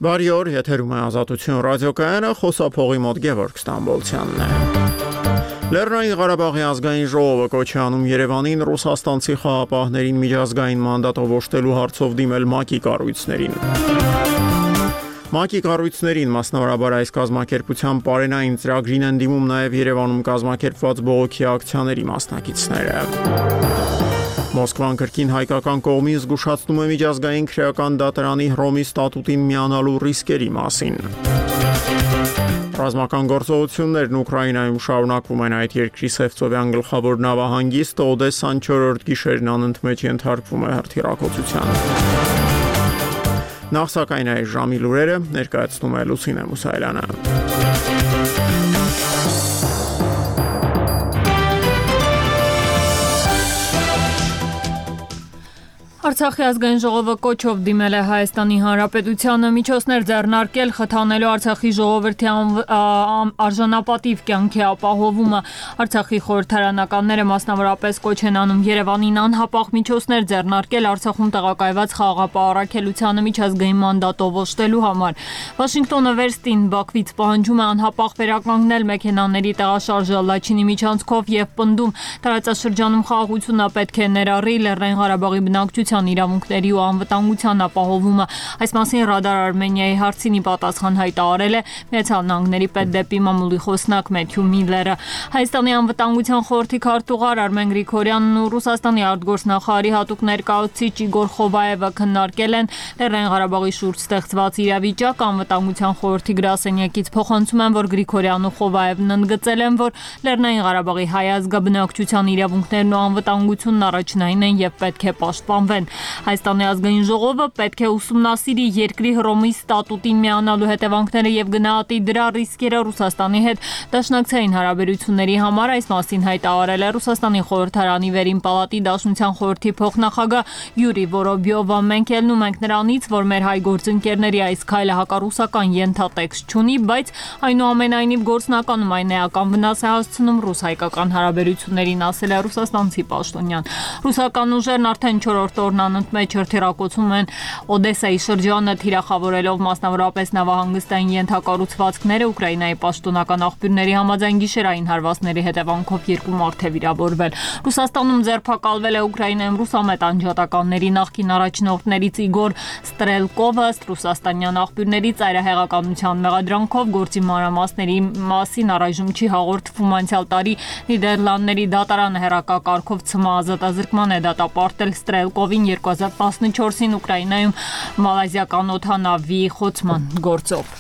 Բարի օր, եթերում է Ազատություն ռադիոկայանը, խոսափողի մոտ Գևորգ Ստամբոլցյանն է։ Լեռնային Ղարաբաղի ազգային ժողովը կոչ է անում Երևանին ռուսաստանցի խաղապահներին միջազգային մանդատով օժտելու հարցով դիմել ՄԱԿ-ի կառույցներին։ ՄԱԿ-ի կառույցներին, մասնավորաբար այս կազմակերպության պարենային ծրագրին են դիմում նաև Երևանում կազմակերպված բողոքի ակցիաների մասնակիցները։ Մոսկվան կրկին հայկական կողմին զգուշացնում է միջազգային քրեական դատարանի Հռոմի ստատուտին միանալու ռիսկերի մասին։ Ռազմական գործողություններն Ուկրաինայում շարունակվում են այդ երկրի Սևծովյան գլխավոր նավահանգիստը Օդեսան 4-րդ գիշերն անընդմեջ ենթարկվում է հրթիռակոծության։ Նախ սակայն այս ժամի լուրերը ներկայացնում է Լուսինե Մուսայելյանը։ Արցախի ազգային ժողովը կոչով դիմել է Հայաստանի Հանրապետությանը միջոցներ ձեռնարկել խթանելու Արցախի ժողովրդի արժանապատիվ կյանքի ապահովումը։ Արցախի խորհրդարանականները մասնավորապես կոչ են անում Երևանին անհապաղ միջոցներ ձեռնարկել Արցախում տեղակայված խաղաղապահ առաքելությանը միջազգային մանդատով օժտելու համար։ Վաշինգտոնը վերստին Բաքվից պահանջում է անհապաղ վերականգնել մեքենաների տեղաշարժը Լաչինի միջանցքով եւ պնդում տարածաշրջանում խաղաղությունը պետք է ներառի Լեռնային Ղարաբաղի բնակչության իրավունքների ու անվտանգության ապահովումը։ Այս մասին Ռադար Արմենիայի հարցինի պատասխան հայտարարել է Միացյալ Նահանգների պետդեպի մամուլի խոսնակ Մեթյու Միլլերը։ Հայաստանի անվտանգության խորհրդի քարտուղար Արմեն Գրիգորյանն ու Ռուսաստանի արտգործնախարարի հատուկ ներկայացուցիչ Իգոր Խովայևը քննարկել են Լեռնային Ղարաբաղի շուրջ ստեղծված իրավիճակը։ Անվտանգության խորհրդի գրասենյակից փոխանցում են, որ Գրիգորյանն ու Խովայևն ընդգծել են, որ Լեռնային Ղարաբաղի հայ ազգաբնակչության իրավունքներն ու անվտանգությունն առաջնային են եւ պետք է պաշտպանվեն։ Հայաստանի ազգային ժողովը պետք է ուսումնասիրի երկրի Հռոմի ստատուտին միանալու հետևանքները եւ գնահատի դրա ռիսկերը Ռուսաստանի հետ դաշնակցային հարաբերությունների համար։ Այս մասին հայտարարել է Ռուսաստանի խորհրդարանի վերին պալատի Դաշնության խորհրդի փոխնախագահ Յուրի Վորոբյովը։ Մենք ելնում ենք նրանից, որ մեր հայ գործընկերների այս քայլը հակառուսական ենթատեքստ չունի, բայց այնուամենայնիվ գործնականում այն էական վնաս է հասցնում ռուս-հայկական հարաբերություններին, ասել է ռուսաստանցի պաշտոնյան։ Ռուսական ուժերն արդեն 4-րդ օրն անընդմեջ հրթիռակոծում են Օդեսայի շրջանը, թիրախավորելով մասնավորապես նավահանգստային ենթակառուցվածքները։ Ուկրաինայի պաշտոնական աղբյուրների համաձայն գիշերային հարվածների հետևանքով 2 մարդ է վիրավորվել։ Ռուսաստանում ձերբակալվել է Ուկրաինայում ռուսամետ անջատականների նախկին առաջնորդներից Իգոր Ստրելկովը։ Ռուսաստանյան աղբյուրների ծայրահեղականության մեղադրանքով գործի մանրամասների մասին առայժմ չի հաղորդվում։ Անցյալ տարի Նիդերլանդների դատարանը հեռակակարգով ՑՄ ազատազրկման է դատապարտել Ստրելկովին 2014-ին Ուկրաինայում մալազիական օդանավի խոցման գործով։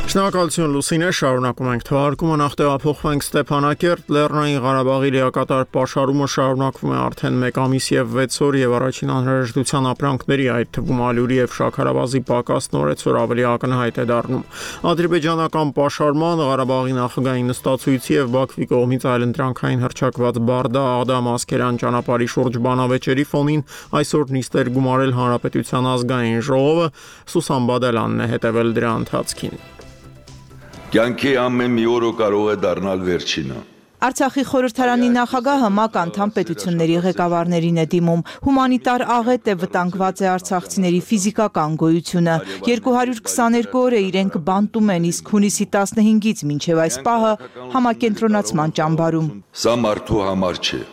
Շնորհակալություն Լուսինե, շարունակում ենք թողարկումը, նախ տեղափոխվենք Ստեփանակերտ։ Լեռնային Ղարաբաղի լիակատար պաշարումը շարունակվում է արդեն 1 ամիս եւ 6 օր եւ առաջին անհրաժեշտության ապրանքների, այդ թվում ալյուրի եւ շաքարավազի պակասն օրեցօր ավելի ակնհայտ է դառնում։ Ադրբեջանական պաշարման, Ղարաբաղի նախագահի նստացույցի եւ Բաքվի կողմից այլընտրանքային հռչակված Բարդա-Աղդամ-Ասկերան ճանապարհի շուրջ բանավեճերի ֆոնին այսօր նիստեր գումարել Հանրապետության ազգային ժողովը։ Սուսան Բադալյանն է հետևել դրա ընթացքին։ Կյանքի ամեն մի օրը կարող է դառնալ վերջինը։ Արցախի խորհրդարանի նախագահը ՄԱԿ անդամ պետությունների ղեկավարներին է դիմում։ Հումանիտար աղետ է, վտանգված է արցախցիների ֆիզիկական գոյությունը։ 222 օր է իրենք բանտում են, իսկ հունիսի 15-ից մինչև այս պահը համակենտրոնացման ճամբարում։ Սա մարդու համար չէ։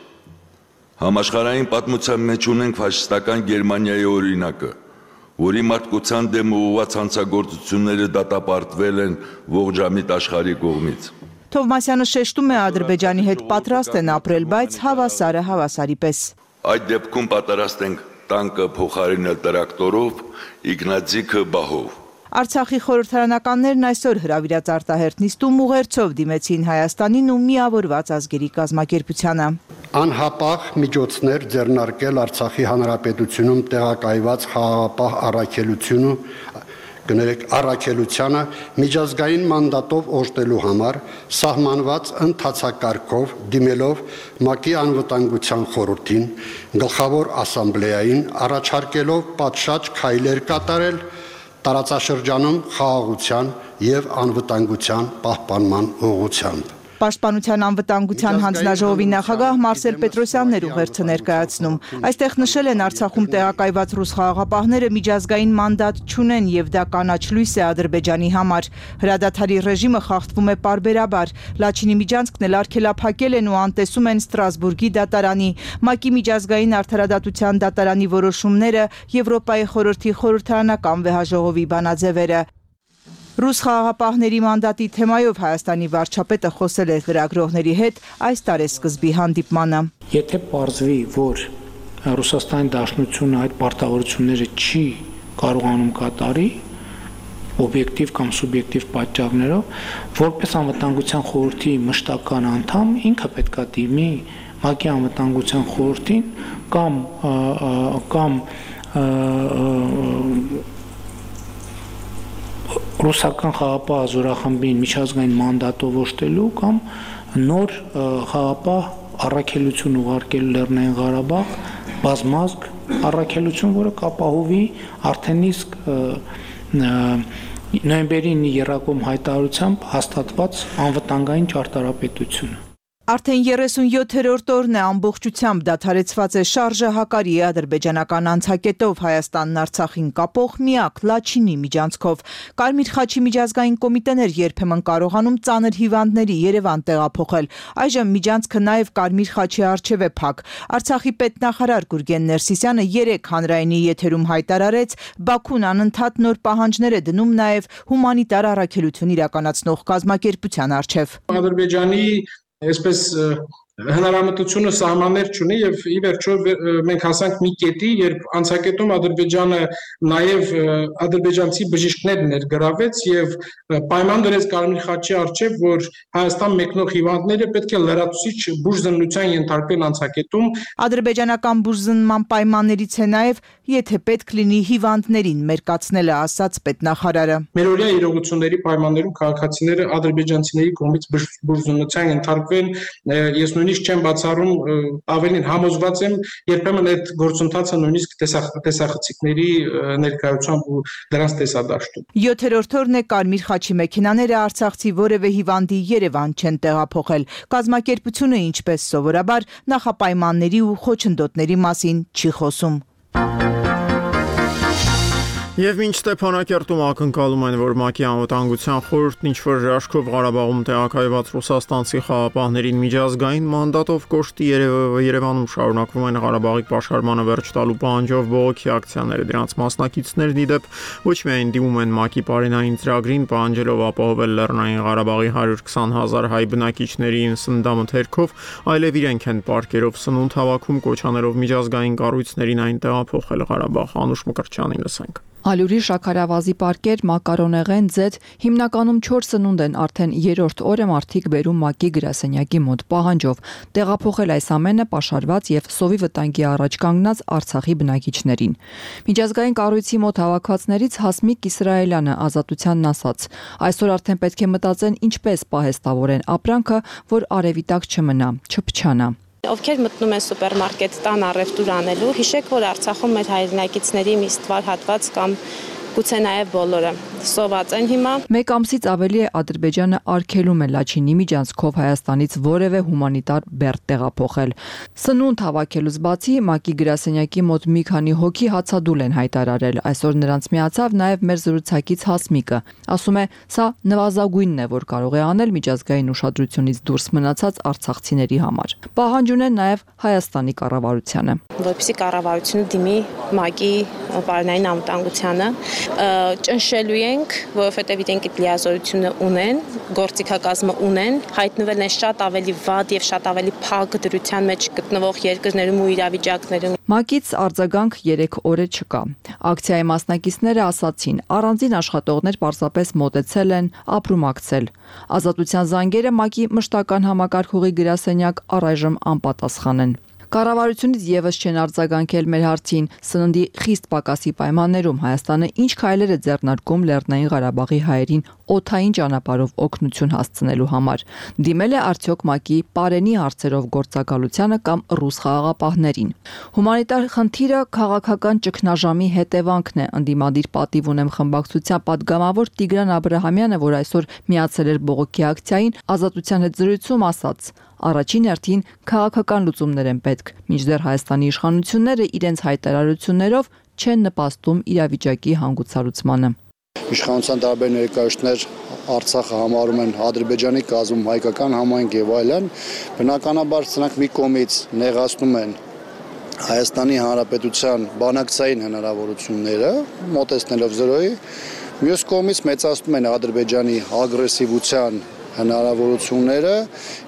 Համաշխարհային պատմության մեջ ունենք ֆաշիստական Գերմանիայի օրինակը, որի մարդկության դեմ ուղղված հանցագործությունները դատապարտվել են ողջամիտ աշխարհի կողմից։ Թովմասյանը շեշտում է, Ադրբեջանի հետ պատրաստ են ապրել, բայց հավասարը հավասարի պես։ Այդ դեպքում պատրաստ ենք տանկը փոխարինել տրակտորով, իգնացիկը բահով։ Արցախի խորհրդարանականներն այսօր հրավիրած արտահերթ նիստում ուղերձով դիմեցին Հայաստանին ու Միավորված ազգերի կազմակերպությանը։ Անհապաղ միջոցներ ձեռնարկել Արցախի հանրապետությունում տեղակայված խաղաղապահ առաքելությանը միջազգային մանդատով օժտելու համար սահմանված ընթացակարգով դիմելով ՄԱԿ-ի անվտանգության խորհրդին, գլխավոր ասամբլեային առաջարկելով պատշաճ քայլեր կատարել տարածաշրջանում խաղաղության եւ անվտանգության պահպանման ուղղությամբ։ Պաշտպանության անվտանգության հանձնաժողովի նախագահ Մարսել Պետրոսյանն էր ուղերձը ներկայացնում։ Այստեղ նշել են Արցախում տեղակայված ռուս խաղաղապահները միջազգային մանդատ չունեն եւ դա կանաչ լույս է Ադրբեջանի համար։ Հրադադարի ռեժիմը խախտվում է պարբերաբար։ Լաչինի միջանցքն էլ արգելափակել են ու անտեսում են Ստրասբուրգի դատարանի, ՄԱԿ-ի միջազգային արդարադատության դատարանի որոշումները, Եվրոպայի խորհրդի խորհրդարանական վեհաժողովի բանաձևերը։ Ռուս խաղաղապահների մանդատի թեմայով Հայաստանի վարչապետը խոսել է լրագրողների հետ այս տարեսկզբի հանդիպմանը։ Եթե պարզվի, որ Ռուսաստանի Դաշնությունը այդ պարտավորությունները չի կարողանում կատարի, օբյեկտիվ կամ սուբյեկտիվ պատճառներով, որպես անվտանգության խորհրդի մշտական անդամ ինքը պետք է դիմի ՄԱԿ-ի անվտանգության խորհրդին կամ ռուսական խաղապահ զորախմբին միջազգային մանդատով օժտելու կամ նոր խաղապահ առաքելություն ուղարկելու Լեռնային Ղարաբաղ, բազմազգ առաքելություն, որը կապահովի արդեն իսկ նոյեմբերի 9-ի եռակոմ հայտարարությամբ հաստատված անվտանգային ճարտարապետությունը։ Արդեն 37-րդ օրն է ամբողջությամբ դադարեցված է շարժը հակարի ադրբեջանական անցակետով Հայաստանն Արցախին կապող միակ Լաչինի միջանցքով։ Կարմիր խաչի միջազգային կոմիտեն էր երբեմն կարողանում ծանր հիվանդների Երևան տեղափոխել։ Այժմ միջանցքը նաև Կարմիր խաչի առջև է փակ։ Արցախի պետնախարար Գուրգեն Ներսիսյանը 3 հանրայինի եթերում հայտարարեց, Բաքուն անընդհատ նոր պահանջներ է դնում նաև հումանիտար առաքելություն իրականացնող կազմակերպության առջև։ Ադրբեջանի այսպես հնարամտությունը սահմաններ չունի եւ ի վերջո մենք հասանք մի կետի, երբ անցակետում Ադրբեջանը նաեւ ադրբեջանցի բժիշկներ ներգրավեց եւ պայման դրեց Կարմիր խաչի առջև, որ Հայաստան մեկնող հիվանդները պետք է լրացուցիչ բուժզննության ենթարկվեն անցակետում։ Ադրբեջանական բուժզննման պայմաններից է նաեւ, եթե պետք լինի հիվանդներին մերկացնելը, ասաց պետնախարարը։ Մերօրյա իրողությունների պայմաններում քաղաքացիները ադրբեջանցիների կողմից բուժզննության ենթարկվեն, ես նույնիսկ չեմ բացառում, ավելին համոզված եմ, երբեմն այդ գործընթացը նույնիսկ տեսախցիկների ներկայությամբ ու դրանց տեսադաշտում։ 7-րդ օրն է Կարմիր խաչի մեքենաները արցախցի որևէ հիվանդի Երևան չեն տեղափոխել։ Կազմակերպությունը, ինչպես սովորաբար, նախապայմանների ու խոչընդոտների մասին չի խոսում։ Եվ մինչ Ստեփանակերտում ակնկալում են, որ ՄԱԿ-ի անվտանգության խորհուրդն ինչ-որ հրաշքով Ղարաբաղում տեղակայված ռուսաստանցի խաղապահներին միջազգային մանդատով կոշտի Երևանում շարունակվում են Ղարաբաղի պաշարմանը վերջ տալու պահանջով բողոքի ակցիաները։ Դրանց մասնակիցներն ի դեպ ոչ միայն դիմում են ՄԱԿ-ի պարենային ծրագրին, պահանջելով ապահովել Լեռնային Ղարաբաղի 120,000 հայ բնակիչների սննդամթերքով, այլև իրենք են պարկերով սնունդ հավաքում, կոչանելով միջազգային կառույցներին այն տեղափոխել Ղարաբաղ։ Անուշ Մկրտչյանին լսենք։ Ալյուրի շաքարավազի պարկեր, մակարոնեղեն, ձեթ, հիմնականում 4 սնունդ են արդեն 3-րդ օրը մարդիկ բերում ՄԱԿ-ի գրասենյակի մոտ պահանջով տեղափոխել այս ամենը պաշարված եւ սովի վտանգի առաջ կանգնած Արցախի բնակիչներին։ Միջազգային կառույցի մոտ հավաքվածներից Հասմիկ Իսրայելյանը Ազատությանն ասաց. այսօր արդեն պետք է մտածեն ինչպես պահեստավորեն ապրանքը, որ արևի տակ չմնա, չփչանա։ Ովքեր մտնում են սուպերմարկետ տան առևտուր անելու, հիշեք, որ Արցախում մեր հայրենակիցների մի ստվար հատված կամ գուցե նաև բոլորը սոված են հիմա։ Մեկ ամսից ավելի է Ադրբեջանը արգելում է Լաչինի միջանցքով Հայաստանից որևէ հումանիտար բեռ տեղափոխել։ Սնունդ հավաքելուց բացի ՄԱԿ-ի գրասենյակի մոտ մի քանի հոգի հացադուլ են հայտարարել։ Այսօր նրանց միացավ նաև մեր զրուցակից Հասմիկը։ Ասում է, սա նվազագույնն է, որ կարող է անել միջազգային ուշադրությունից դուրս մնացած արցախցիների համար։ Պահանջ ունեն նաև Հայաստանի կառավարությանը, որպեսզի կառավարությունը դիմի ՄԱԿ-ի պարենային անվտանգությանը, ճնշելու ենք, որովհետև իրենք այդ լիազորությունը ունեն, գործիքակազմը ունեն, հայտնվել են շատ ավելի վատ եւ շատ ավելի փակ դրության մեջ գտնվող երկրներում ու իրավիճակներում։ ՄԱԿ-ից արձագանք 3 օրը չկա։ Ակցիայի մասնակիցները ասացին, առանձին աշխատողներ պարզապես մոտեցել են ապրումակցել։ Ազատության զանգերը ՄԱԿ-ի մշտական համակարգողի գրասենյակ առայժմ անպատասխան են։ Կառավարությունից եւս չեն արձագանքել մեր հարցին սննդի խիստ պակասի պայմաններում Հայաստանը ինչ քայլեր է ձեռնարկում Լեռնային Ղարաբաղի հայերին օդային ճանապարհով օգնություն հասցնելու համար։ Դիմել է արդյոք ՄԱԿ-ի պարենի հարցերով գործակալությանը կամ ռուս խաղաղապահներին։ Հումանիտար խնդիրը քաղաքական ճգնաժամի հետևանքն է, ընդդիմադիր պատիվ ունեմ խմբակցության պատգամավոր Տիգրան Աբրահամյանը, որ այսօր միացել էր բողոքի ակցիային, Ազատության հետ զրույցում ասաց. Առաջին հերթին քաղաքական լուծումներ են պետք, մինչդեռ Հայաստանի իշխանությունները իրենց հայտարարություններով չեն նպաստում իրավիճակի հանգուցալուծմանը։ Իշխանության տարբեր ներկայացուցիչներ Արցախը համարում են Ադրբեջանի կազմում հայկական համայնք եւ այլն, բնականաբար սրանք մի կողմից նեղացնում են Հայաստանի Հանրապետության բանակցային հնարավորությունները, մոտեցնելով 0-ի, մյուս կողմից մեծացնում են Ադրբեջանի ագրեսիվության հնարավորությունները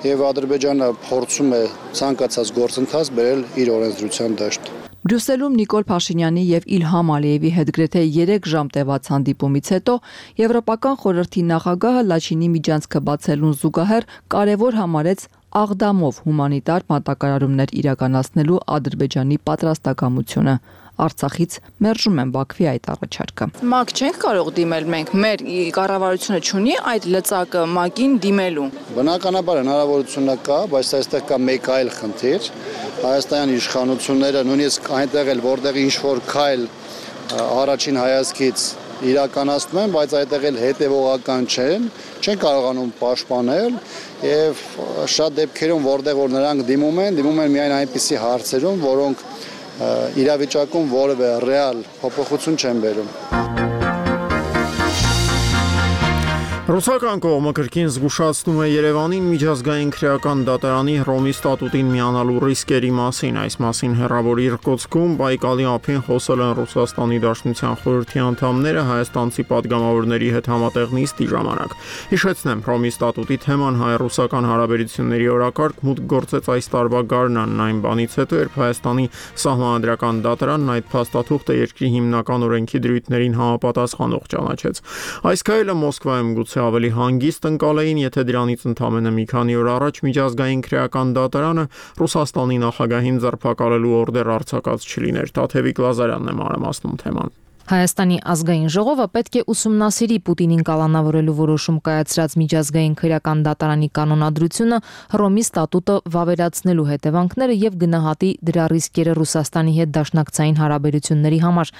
եւ Ադրբեջանը փորձում է ցանկացած գործընթաց բերել իր օրենսդրության դաշտ։ Բրյուսելում Նիկոլ Փաշինյանի եւ Իլհամ Ալիևի հետ գրեթե 3 ժամ տևած հանդիպումից հետո Եվրոպական խորհրդի նախագահը Լաչինի միջանցքը բացելուն զուգահեռ կարևոր համարեց աղդամով հումանիտար մատակարարումներ իրականացնելու Ադրբեջանի պատրաստակամությունը։ Արցախից մերժում են Բաքվի այդ առաջարկը։ ՄԱԿ չենք կարող դիմել մենք, մեր կառավարությունը չունի այդ լծակը ՄԱԿ-ին դիմելու։ Բնականաբար հնարավորությունը կա, բայց այստեղ կա մեկ այլ խնդիր։ Հայաստանի իշխանությունները նույնիսկ այնտեղ էլ որտեղ ինչ որ քայլ առաջին հայացքից իրականացնում են, բայց այդտեղ էլ հետևողական չեն կարողանում պաշտպանել եւ շատ դեպքերում որտեղ որ նրանք դիմում են միայն այնպիսի հարցերում, որոնք իրավիճակում որևէ ռեալ փոփոխություն չեն բերում։ Ռուսական կողմը կրկին զգուշացնում է Երևանին միջազգային քրեական դատարանի Հռոմի ստատուտին միանալու ռիսկերի մասին։ Այս մասին հեռավոր Իրկուտսկում Բայկալի ափին խոսել են Ռուսաստանի Դաշնության խորհրդի անդամները հայաստանցի պատգամավորների հետ համատեղ նիստի ժամանակ։ Հիշեցնեմ, Հռոմի ստատուտի թեման հայ-ռուսական հարաբերությունների օրակարգ մուտք գործեց այս տարվա գարնանն, այն բանից հետո, երբ Հայաստանի Սահմանադրական դատարանն այդ փաստաթուղթը երկրի հիմնական օրենքի դրույթներին համապատասխանող ճանաչեց։ Այս քայլը Մոսկվայում գուցե ավելի հանգիստ ընկալեին, եթե դրանից ընդամենը մի քանի օր առաջ միջազգային քրեական դատարանը Ռուսաստանի նախագահին ձերբակալելու օրդեր արձակած չլիներ։ Տաթևիկ Լազարյանն է մանրամասնում թեման։ Հայաստանի ազգային ժողովը պետք է ուսումնասիրի Պուտինին կալանավորելու որոշում կայացրած միջազգային քրեական դատարանի կանոնադրությունը, Հռոմի ստատուտը վավերացնելու հետևանքները եւ գնահատի դրա ռիսկերը Ռուսաստանի հետ դաշնակցային հարաբերությունների համար։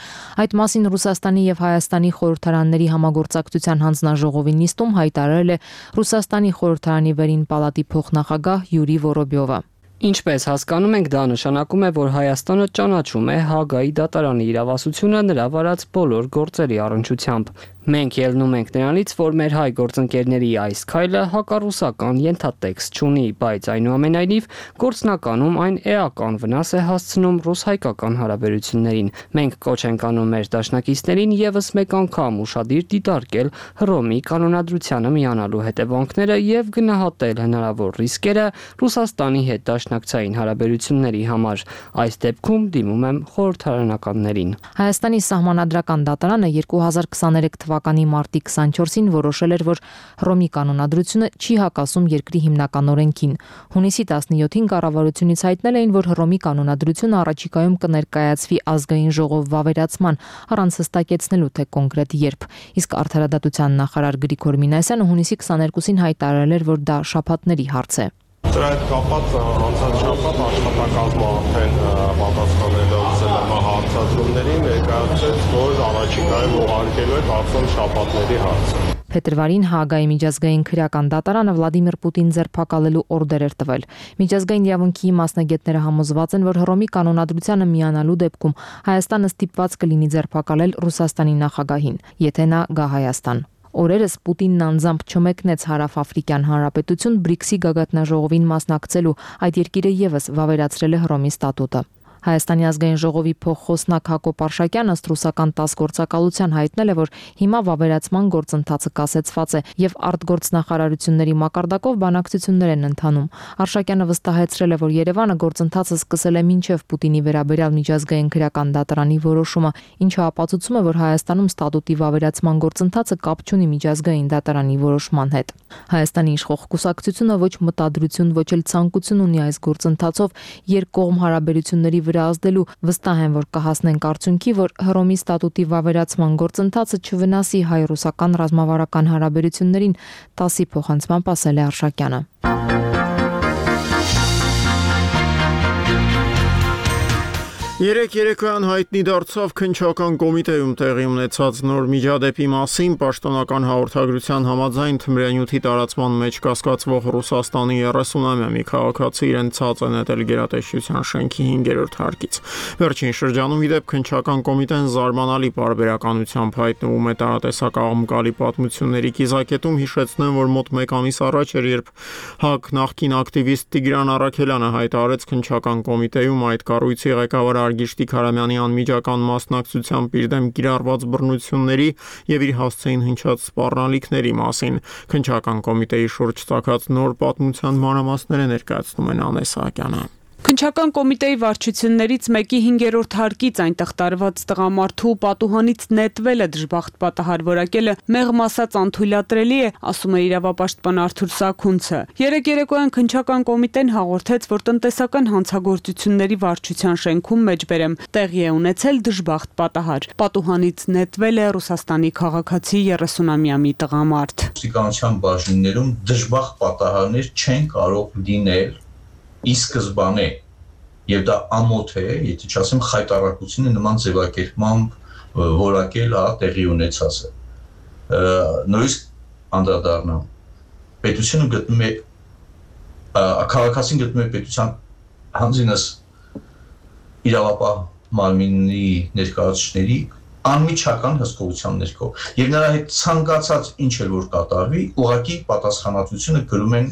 Այդ մասին Ռուսաստանի եւ Հայաստանի խորհրդարանների համագործակցության հանձնաժողովի նիստում հայտարարել է Ռուսաստանի խորհրդարանի վերին պալատի փոխնախագահ Յուրի Վորոբյովը։ Ինչպես հասկանում ենք, դա նշանակում է, որ Հայաստանը ճանաչում է Հագայի դատարանի իրավասությունը նրա վարած բոլոր գործերի առնչությամբ։ Մենք ելնում ենք նրանից, որ մեր հայ գործընկերների այս քայլը հակառուսական ենթատեքստ չունի, բայց այնուամենայնիվ գործնականում այն էական վնաս է հասցնում ռուս-հայկական հարաբերություններին։ Մենք կոչ ենք անում մեր դաշնակիցներին եւս մեկ անգամ ուշադիր դիտարկել Հռոմի կանոնադրությանը միանալու հետևանքները եւ գնահատել հնարավոր ռիսկերը Ռուսաստանի հետ դաշնակցային հարաբերությունների համար։ Այս դեպքում դիմում եմ խորհրդարանականներին։ Հայաստանի Սահմանադրական դատարանը 2023 թվականի մարտի 24-ին որոշել էր, որ Հռոմի կանոնադրությունը չի հակասում երկրի հիմնական օրենքին։ Հունիսի 17-ին կառավարությունից հայտնել էին, որ Հռոմի կանոնադրությունը առաջիկայում կներկայացվի ազգային ժողով վավերացման, առանց հստակեցնելու թե կոնկրետ երբ։ Իսկ Արդարադատության նախարար Գրիգոր Մինասյանը հունիսի 22-ին հայտարարել էր, որ դա շաբաթների հարց է։ Դրա հետ կապված անցած շաբաթ աշխատակազմը արդեն պատասխանելով ԶԼՄ հարցադրումներին ներկայացրեց, որ առաջիկայում ուղարկելու է կարծում շաբաթների հարցը։ Փետրվարին Հագայի միջազգային քրեական դատարանը Վլադիմիր Պուտին ձերբակալելու օրդեր էր տվել։ Միջազգային իրավունքի մասնագետները համոզված են, որ Հռոմի կանոնադրությանը միանալու դեպքում Հայաստանը ստիպված կլինի ձերբակալել Ռուսաստանի նախագահին, եթե նա գա Հայաստան։ Օրերս Պուտինն անձամբ չմեկնեց Հարավաֆրիկյան Հանրապետություն BRICS-ի գագաթնաժողովին մասնակցելու, այդ երկիրը եւս վավերացրել է Հռոմի ստատուտը։ Հայաստանի ազգային ժողովի փոխխոսնակ Հակոբ Արշակյանը ըստ ռուսական ՏԱՍՍ գործակալության հայտնել է, որ հիմա վավերացման գործընթացը կասեցված է եւ արտգործնախարարությունների մակարդակով բանակցություններ են ընթանում։ Արշակյանը վստահեցրել է, որ Երևանը գործընթացը սկսել է մինչև Պուտինի վերաբերյալ միջազգային քրեական դատարանի որոշումը, ինչը ապացուցում է, որ Հայաստանում ստատուտի վավերացման գործընթացը կապ չունի միջազգային դատարանի որոշման հետ։ Հայաստանի իշխող կուսակցությունը ոչ մտադրություն, ոչ էլ ցանկություն ունի այս գործընթացով երկկողմ հարաբերությունների վրա ազդելու, վստահ են, որ կհասնենք արդյունքի, որ Հռոմի ստատուտի վավերացման գործընթացը չվնասի հայ-ռուսական ռազմավարական հարաբերություններին, ՏԱՍՍ-ի փոխանցմամբ ասել է Արշակյանը։ Երեք երեկոյան հայտնի դարձավ քննչական կոմիտեում տեղի ունեցած նոր միջադեպի մասին պաշտոնական հաղորդագրության համաձայն թմրանյութի տարածման մեջ կասկածվող Ռուսաստանի 30-ամյա մի քաղաքացի իրեն ցած է նետել գերատեսչության շենքի 5-րդ հարկից։ Վերջին շրջանում ի դեպ քննչական կոմիտեն զարմանալի պարբերականությամբ հայտնվում է տարատեսակաղմկալի պատմությունների կիզակետում, հիշեցնեմ, որ մոտ 1 ամիս առաջ էր, երբ ՀԱԿ նախկին ակտիվիստ Տիգրան Առաքելյանը հայտարարեց քննչական կոմիտեում այդ կառույցի ղեկավար Արգիշտիկ Հարամյանի անմիջական մասնակցությամբ իր դեմ կիրառված բռնությունների եւ իր հասցեին հնչած սպառնալիքների մասին։ Քննչական կոմիտեի շուրջ ծագած նոր պատմության մանրամասները ներկայացնում են Անե Սահակյանը։ Քննչական կոմիտեի վարչություններից մեկի 5-րդ հարկից այնտեղ տարված տղամարդու պատուհանից նետվելը դժբախտ պատահար որակելը մեղմ ասած անթույլատրելի է, ասում է իրավապաշտպան Արթուր Սաքունցը։ Երեք երեկոյան քննչական կոմիտեն հաղորդեց, որ տնտեսական հանցագործությունների վարչության շենքում մեջբերեմ տեղի է ունեցել դժբախտ պատահար։ Պատուհանից նետվել է Ռուսաստանի քաղաքացի 30-ամյա մի տղամարդ։ Ոստիկանության բաժիններում դժբախտ պատահարներ չեն կարող լինել ի սկզբանե եւ դա ամոթ է, եթե չասեմ խայտառակությունը նման ձևակերպմամբ որակել տեղի ունեցածը։ Նույնիսկ անդրադառնամ պետությունը գտնում է քաղաքացին գտնում է պետության հանձինս իրավապահ մարմինի ներկայացուցիչների անմիջական հսկողության ներքո եւ նրա հետ ցանկացած ինչ էլ որ կատարվի, ուղղակի պատասխանատվությունը կրում են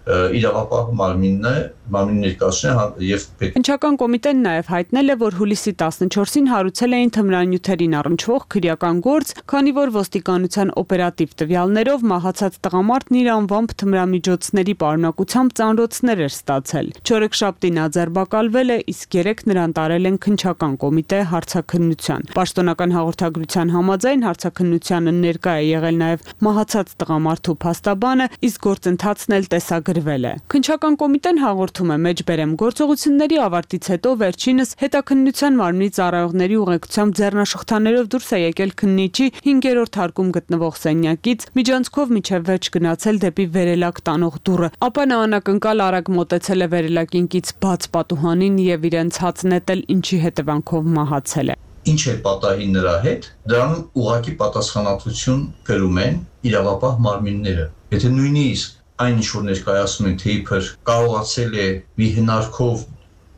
իրավապահ մարմինի ներկայացուցիչները եւ Քննչական կոմիտեն նաեւ հայտնել է, որ հուլիսի 14-ին հարուցել էին թմրանյութերին առնչվող քրեական գործ, քանի որ ոստիկանության օպերատիվ տվյալներով մահացած տղամարդն իր անվամբ թմրամիջոցների պարունակությամբ ծանրոցներ էր ստացել։ Չորեքշաբթին աձերբակալվել է, իսկ երեք նրան տարել են քննչական կոմիտե հարցաքննության։ Պաշտոնական հաղորդագրության համաձայն հարցաքննությանը ներկա է եղել նաեւ մահացած տղամարդու փաստաբանը, իսկ գործընթացն էլ տեսագրվել է։ Քննչական կոմիտեն հաղորդում է մեջբերեմ գործողությունների ավարտից հետո վերջինս հետաքննության մարմնի ծառայողների ուղեկցությամբ ձեռնաշղթաներով դուրս է եկել քննիչի 5-րդ հարկում գտնվող սենյակից, միջանցքով միջև վերջ գնացել դեպի վերելակ տանող դուռը, ապա նա անակնկալ արագ մոտեցել է վերելակին կից բաց պատուհանին եւ իրեն ցած նետել, ինչի հետևանքով մահացել է։ Ինչ է պատահի նրա հետ, դրանում ուղղակի պատասխանատվություն կրում են իրավապահ մարմինները։ Եթե նույնիսկ այն ինչ որ ներկայացնում են, թե իբր կարողացել է մի հնարքով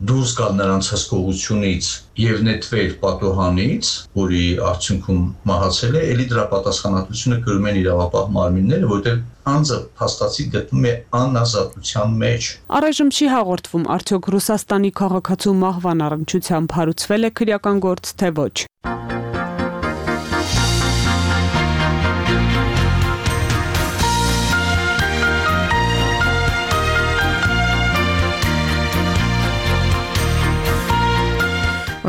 դուրս գալ նրանց հսկողությունից եւ նետվել պատուհանից, որի արդյունքում մահացել է, ելի դրա պատասխանատվությունը կրում են իրավապահ մարմինները, որտեղ անձը փաստացի գտնում է անազատության մեջ։ Առայժմ չի հաղորդվում, արդյոք Ռուսաստանի քաղաքացու մահվան առնչությամբ հարուցվել է քրեական գործ, թե ոչ։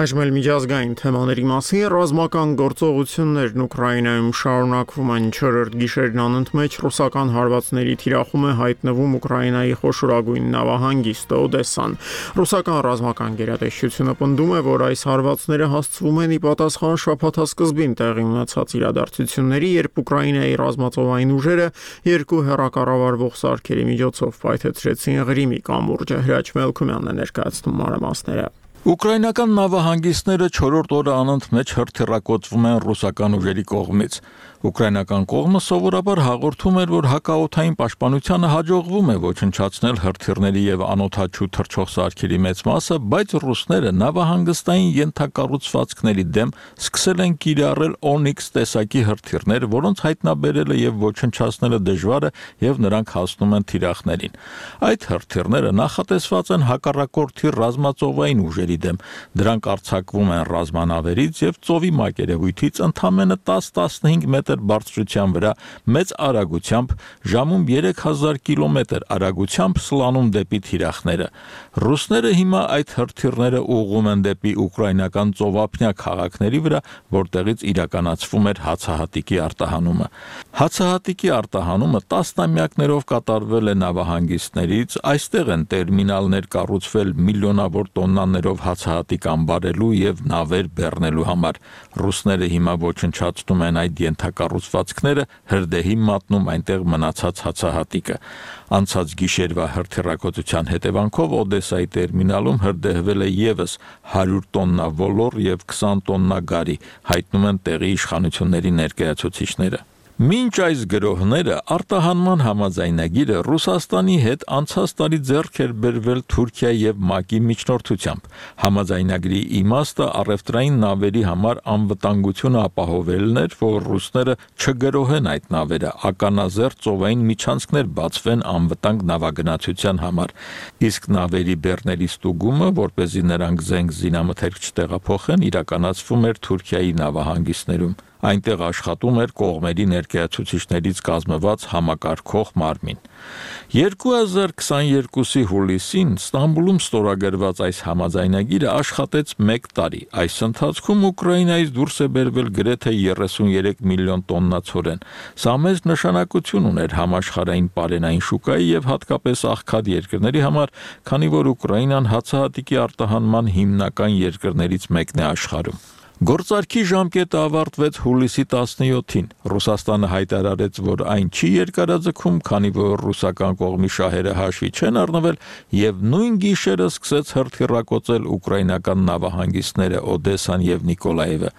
Այժմ էլ միջազգային թեմաների մասին ռազմական գործողություններն Ուկրաինայում շարունակվում են 4-րդ գիշերն անընդմեջ ռուսական հարվածների թիրախում է հայտնվում Ուկրաինայի խոշորագույն նավահանգիստը Օդեսան։ Ռուսական ռազմական գերատեսչությունը պնդում է, որ այս հարվածները հասցվում են ի պատասխան շաբաթասկզբին տեղի ունեցած իրադարձությունների, երբ Ուկրաինայի ռազմածովային ուժերը 2 հեռակառավարվող սարքերի միջոցով պայթեցրեցին Ղրիմի կամուրջը։ Հրաչ Մելքումյանն է ներկայացնում մանրամասները։ Ուկրաինական նավահանգիստները 4-րդ օրը անընդմեջ հրթիռակոծվում են ռուսական ուժերի կողմից։ Ուկրաինական կողմը սովորաբար հաղորդում էր, որ հակաօդային պաշտպանությանը հաջողվում է ոչնչացնել հրթիռների եւ անօդաչու թռչող սարքերի մեծ մասը, բայց ռուսները նավահանգստային ենթակառուցվածքների դեմ սկսել են կիրառել Օնիքս տեսակի հրթիռներ, որոնց հայտնաբերելը եւ ոչնչացնելը դժվար է եւ նրանք հասնում են թիրախներին։ Այդ հրթիռները նախատեսված են հակառակորդի ռազմածովային ուժերի զինվորների դեմ։ Դրանք արձակվում են ռազմանավերից եւ ծովի մակերևույթից ընդամենը 10-15 մետր բարձրության վրա մեծ արագությամբ ժամում 3000 կիլոմետր արագությամբ սլանում դեպի թիրախները։ Ռուսները հիմա այդ հրթիռները ուղղում են դեպի ուկրաինական ծովափնյա քաղաքների վրա, որտեղից իրականացվում էր հացահատիկի արտահանումը։ Հացահատիկի արտահանումը տասնամյակներով կատարվել է նավահանգիստներից, այստեղ են տերմինալներ կառուցվել միլիոնավոր տոննաներով հացահատիկ ամբարելու եւ նավեր բեռնելու համար։ Ռուսները հիմա ոչնչացնում են այդ ենթակառուցվածքները, հրդեհի մատնում այնտեղ մնացած հացահատիկը։ Անցած գիշերվա հրթիռակոծության հետևանքով Օդեսայի տերմինալում հրդեհվել է եւս 100 տոննա ոլոր եւ 20 տոննա գարի, հայտնում են տեղի իշխանությունների ներկայացուցիչները։ Մինչ այս գրոհները արտահանման համաձայնագիրը Ռուսաստանի հետ անցած տարի ձեռք էր բերվել Թուրքիայի եւ ՄԱԿ-ի միջնորդությամբ։ Համաձայնագրի իմաստը առևտրային նավերի համար անվտանգությունը ապահովելն էր, որ ռուսները չգրոհեն այդ նավերը, ականազերծ ծովային միջանցքներ բացվեն անվտանգ նավագնացության համար։ Իսկ նավերի բեռների ստուգումը, որպեսզի նրանք զենք զինամթերք չտեղափոխեն, իրականացվում էր Թուրքիայի նավահանգիստներում։ Այնտեղ աշխատում էր կողմերի ներկայացուցիչներից կազմված համակարգող մարմին։ 2022-ի հուլիսին Ստամբուլում ստորագրված այս համաձայնագիրը աշխատեց 1 տարի։ Այս ընթացքում Ուկրաինայից դուրս է բերվել գրեթե 33 միլիոն տոննա ցորեն։ Սա մեծ նշանակություն ուներ համաշխարհային պարենային շուկայի եւ հատկապես աղքատ երկրների համար, քանի որ Ուկրաինան հացահատիկի արտահանման հիմնական երկրներից մեկն է աշխարհում։ Գործարքի ժամկետը ավարտվեց հուլիսի 17-ին։ Ռուսաստանը հայտարարեց, որ այն չի երկարաձգում, քանի որ ռուսական կողմի շահերը հաշվի չեն առնվել, եւ նույն գիշերը սկսեց հրթիռակոծել ուկրաինական նավահանգիստները Օդեսան եւ Նիկոլաևը։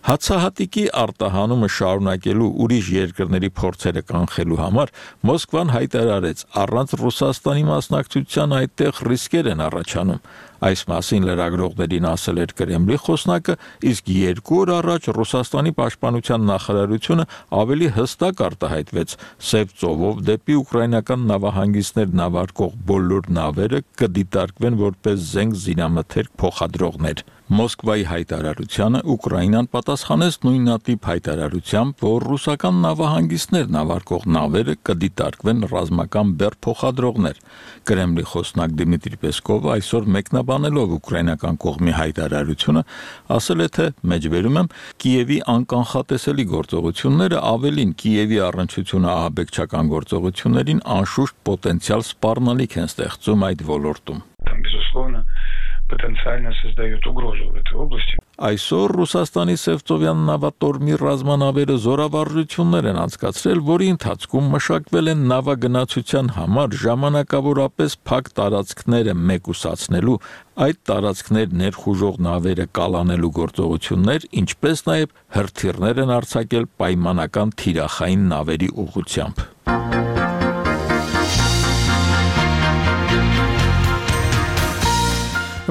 Հացահատիկի արտահանումը շարունակելու ուրիշ երկրների փորձերը կանխելու համար Մոսկվան հայտարարեց, առանց Ռուսաստանի մասնակցության այդտեղ ռիսկեր են առաջանում։ Այս մասին լրագրողներին ասել էր Կրեմլի խոսնակը, իսկ 2 օր առաջ Ռուսաստանի պաշտպանության նախարարությունը ավելի հստակ արտահայտվեց. Սև ծովով դեպի ուկրաինական նավահանգիստներ նավարկող բոլոր նավերը կդիտարկվեն որպես զենք զինամթերք փոխադրողներ։ Մոսկվայի հայտարարությանը Ուկրաինան պատասխանեց նույնատիպ հայտարարությամբ, որ ռուսական նավահանգիստներ նավարկող նավերը կդիտարկվեն ռազմական բեռ փոխադրողներ։ Կրեմլի խոսնակ Դմիտրի Պեսկովը այսօր մեկնաբանելով ուկրաինական կողմի հայտարարությունը ասել է, թե մեջբերում եմ Կիևի անկանխատեսելի գործողությունները ավելին Կիևի առնչությունը ահաբեկչական գործողություններին անշուշտ պոտենցիալ սպառնալիք են ստեղծում այդ ոլորտում։ Потенциально создает угрозу в этой области. Այսօր Ռուսաստանի Սևծովյան նավատորմի ռազմանավերը զորավարժություններ են անցկացրել, որի ընթացքում մշակվել են նավագնացության համար ժամանակավորապես փակ տարածքները մեկուսացնելու, այդ տարածքներ ներխուժող նավերը կալանելու գործողություններ, ինչպես նաև հրթիռներ են արձակել պայմանական թիրախային նավերի ուղղությամբ։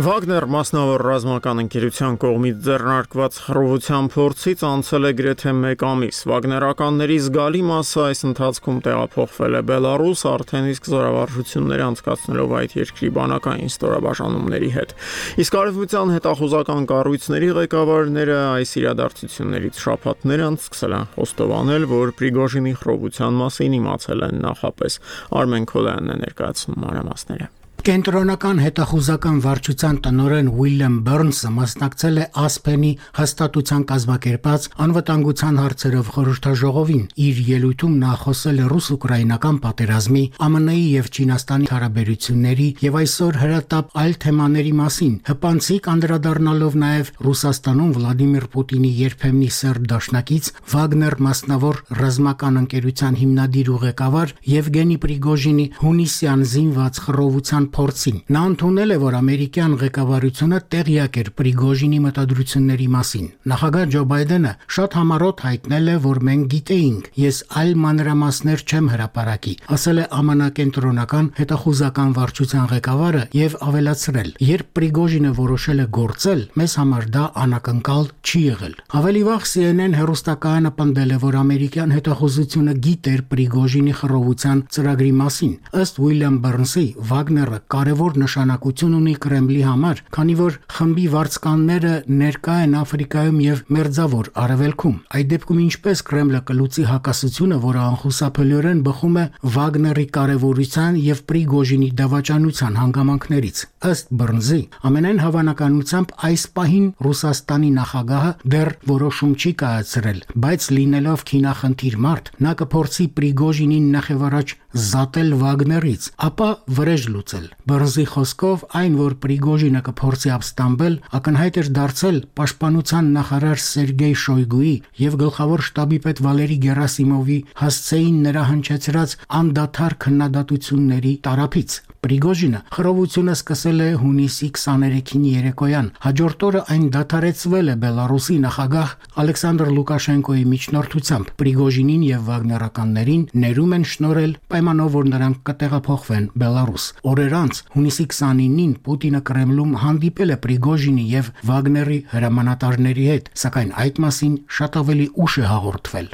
Վագներ մասնավոր ռազմական ընկերության կողմից ձեռնարկված խռովության փորձից անցել է գրեթե 1 ամիս։ Վագներականների զգալի մասը այս ընթացքում տեղափոխվել է Բելարուս, արդեն իսկ զորավարժություններ անցկացնելով այդ երկրի բանակային ստորաբաժանումների հետ։ Իսկ արևմտյան հետախուզական կառույցների ղեկավարները այս իրադարձություններից շաբաթներ անց սկսել են խոստովանել, որ Պրիգոժինի խռովության մասին իմացել են նախապես։ Արմեն Քոլյանն է ներկայացնում մանրամասները։ Կենտրոնական հետախուզական վարչության տնօրեն Ուիլյամ Բըրնսը մասնակցել է Ասպենի հաստատության կազմակերպած անվտանգության հարցերով խորհրդաժողովին։ Իր ելույթում նա խոսել է ռուս-ուկրաինական պատերազմի, ԱՄՆ-ի եւ Չինաստանի հարաբերությունների եւ այսօր հրատապ այլ թեմաների մասին, հպանցիկ անդրադառնալով նաեւ Ռուսաստանում Վլադիմիր Պուտինի երբեմնի սերտ դաշնակից Վագներ մասնավոր ռազմական ընկերության հիմնադիր ու ղեկավար Եվգենի Պրիգոժինի հունիսյան զինված խռովության փորձին։ Նա ընդունել է, որ ամերիկյան ղեկավարությունը տեղյակ էր Պրիգոժինի մտադրությունների մասին։ Նախագահ Ջո Բայդենը շատ համառոտ հայտնել է, որ մենք գիտեինք, ես այլ մանրամասներ չեմ հրապարակի, ասել է ԱՄՆ կենտրոնական հետախուզական վարչության ղեկավարը եւ ավելացրել. երբ Պրիգոժինը որոշել է գործել, մեզ համար դա անակնկալ չի եղել։ Ավելի վաղ CNN հեռուստակայանը պնդել է, որ ամերիկյան հետախուզությունը գիտեր Պրիգոժինի խռովության ծրագրի մասին։ Ըստ Ուիլյամ Բըրնսի, Վագները կարևոր նշանակություն ունի Կրեմլի համար, քանի որ խմբի վարձկանները ներկա են Աֆրիկայում եւ Մերձավոր Արևելքում։ Այդ դեպքում ինչպես Կրեմլը կլուծի հակասությունը, որը անխուսափելիորեն բխում է Վագների կարևորության եւ Պրիգոժինի դավաճանության հանգամանքներից։ Ըստ Բռնզի, ամենայն հավանականությամբ այս պահին Ռուսաստանի նախագահը դեռ որոշում չի կայացրել, բայց լինելով քինախնդիր մարդ, նա կփորձի Պրիգոժինին նախևառաջ զատել Վագներից, ապա վրեժ լուծել։ Բռնզի խոսքով, այն որ Պրիգոժինը կփորձի ապստամբել, ակնհայտ էր դարձել պաշտպանության նախարար Սերգեյ Շոյգուի եւ գլխավոր շտաբի պետ Վալերի Գերասիմովի հասցեին նրա հնչեցրած անդադար քննադատությունների տարափից։ Պրիգոժինը խռովությունը սկսել է հունիսի 23-ին երեկոյան։ Հաջորդ օրը այն դադարեցվել է Բելարուսի նախագահ Ալեքսանդր Լուկաշենկոյի միջնորդությամբ։ Պրիգոժինին եւ վագներականներին ներում են շնորհել պայմանով, որ նրանք կտեղափոխվեն Բելարուս։ Օրեր անց հունիսի 29-ին Պուտինը Կրեմլում հանդիպել է Պրիգոժինի եւ Վագների հրամանատարների հետ, սակայն այդ մասին շատ ավելի ուշ է հաղորդվել։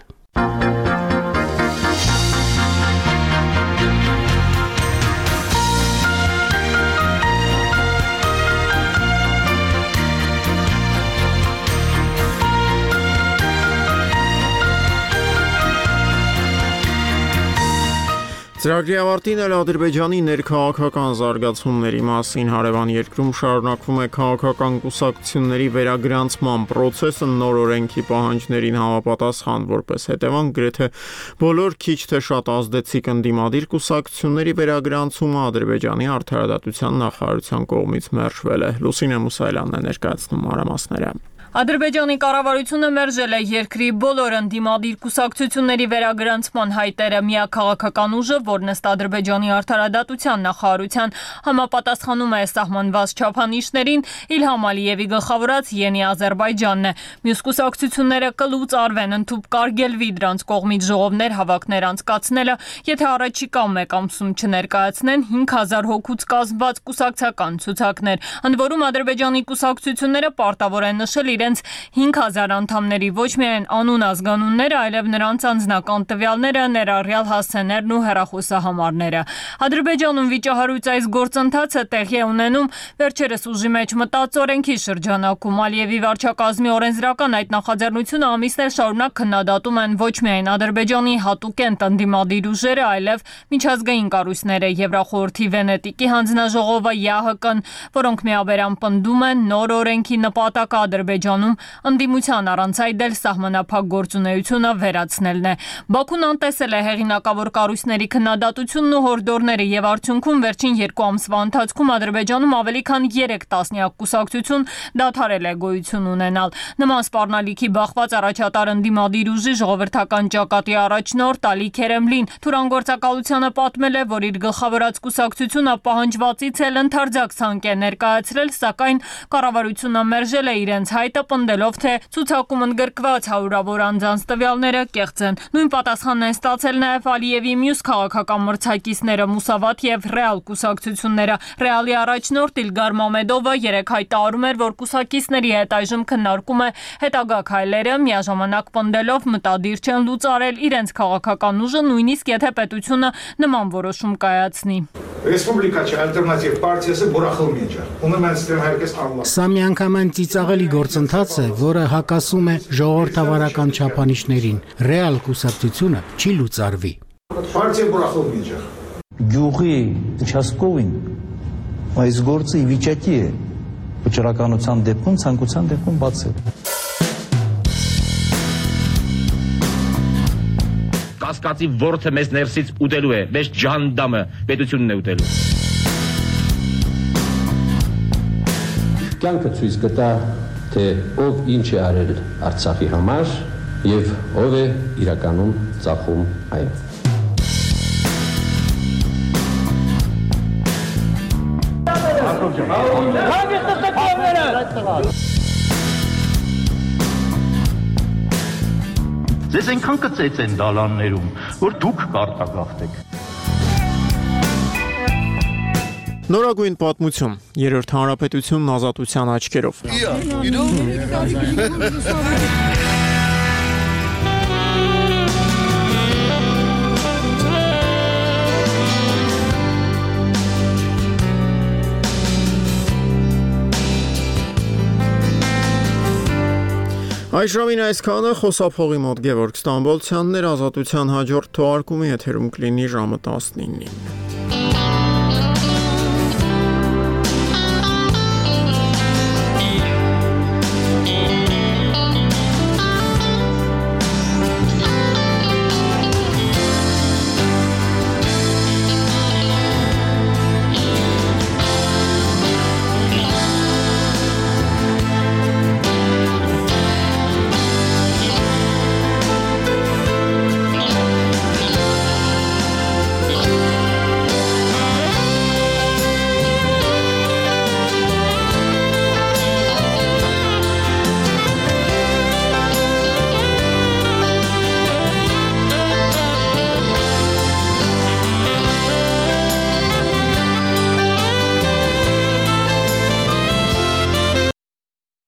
Ծրագրի ավարտին էլ Ադրբեջանի ներքաղաքական զարգացումների մասին հարևան երկրում շարունակվում է քաղաքական կուսակցությունների վերագրանցման process-ը նոր օրենքի պահանջներին համապատասխան, որպես հետևանք գրեթե բոլոր քիչ թե շատ ազդեցիկ ընդդիմադիր կուսակցությունների վերագրանցումը Ադրբեջանի արդարադատության նախարարության կողմից մերժվել է։ Լուսինե Մուսայելյանն է ներկայացնում մանրամասները։ Ադրբեջանի կառավարությունը մերժել է երկրի բոլոր ընդդիմադիր կուսակցությունների վերագրանցման հայտերը։ Միակ քաղաքական ուժը, որն ըստ Ադրբեջանի արդարադատության նախարարության համապատասխանում է սահմանված չափանիշներին, Իլհամ Ալիևի գլխավորած Յենի Ադրբեջանն է։ Մյուս կուսակցությունները կլուծարվեն, ընդհուպ կարգելվի դրանց կողմից ժողովներ հավաքներ անցկացնելը, եթե առաջիկա մեկ ամսում չներկայացնեն 5000 հոգուց կազմված կուսակցական ցուցակներ։ Ընդ որում Ադրբեջանի կուսակցությունները պարտավոր են նշել իրենց 5000 անդամների ոչ միայն անուն ազգանունները, այլև նրանց անձնական տվյալները, ներառյալ հասցեներն ու հեռախոսահամարները։ Ադրբեջանում վիճահարույց այս գործընթացը տեղի է ունենում վերջերս ուժի մեջ մտած օրենքի շրջանակում։ Ալիևի վարչակազմի օրենսդրական այդ նախաձեռնությունը ամիսներ շարունակ քննադատում են ոչ միայն Ադրբեջանի հատուկենտ ընդդիմադիր ուժերը, այլև միջազգային կառույցները, Եվրախորհրդի Վենետիկի հանձնաժողովը, ԵԱՀԿ-ն, որոնք միաբերան պնդում են նոր օրենքի նպատակը Ադրբեջանում ընդդիմության առանց այդ էլ սահմանափակ գործունեությունը վերացնելն է։ Բաքուն անտեսել է հեղինակավոր կառույցների քննադատությունն ու հորդորները եւ արդյունքում վերջին 2 ամսվա ընթացքում Ադրբեջանում ավելի քան 3 տասնյակ կուսակցություն դադարել է գոյություն ունենալ։ Նման սպառնալիքի բախված առաջատար ընդդիմադիր ուժի ժողովրդական ճակատի առաջնորդ Ալի Քերեմլին թուրանգործակալությանը պատմել է, որ իր գլխավորած կուսակցությունը պահանջվածից էլ ընդարձակ ցանկ է ներկայացրել, սակայն կառավարությունը մերժել է իրենց հայտը, պնդելով, թե ցուցակում ընդգրկված հարյուրավոր անձանց տվյալները կեղծ են։ Նույն պատասխանն են ստացել նաև Ալիևի մյուս քաղաքական մրցակիցները Մուսավաթ եւ Ռեալ կուսակցությունները։ Ռեալի առաջնորդ Իլգար Մամեդովը երեկ հայտարարում էր, որ կուսակիցների հետ այժմ քննարկում է հետագա քայլերը, միաժամանակ պնդելով մտադիր չեն լուծարել իրենց քաղաքական ուժը, նույնիսկ եթե պետությունը նման որոշում կայացնի։ Ռեսպուբլիկաչի ալտերնատիվ պարտիası բուրախılmayacak. Bunu ben isterim herkes anlasın. Սա միանգամայն ծիծաղելի գործընթաց է, որը հակասում է ժողովրդավարական չափանիշներին։ Ռեալ կուսակցությունը չի լուծարվի։ Պարտիա բուրախılmayacak. Գյուղի участковին այս գործը ի վիճակի է վճռականության դեպքում, ցանկության դեպքում բացել։ Կասկածի ворթը մեզ ներսից ուտելու է, մեզ ջանդամը պետությունն է ուտելու։ Կյանքը ցույց կտա, թե ով ինչ է արել Արցախի համար եւ ով է իրականում ծախում այն։ Ձեզ այնքան կծեց են դալաններում, որ դուք կարտագաղթեք։ Նորագույն պատմություն, երրորդ հանրապետությունն ազատության աչքերով։ Այժմին այսքանը խոսափողի մոտ Գևորգ Ստամբոլցյանն էր ազատության հաջորդ թողարկումի եթերում կլինի ժամը 19-ին։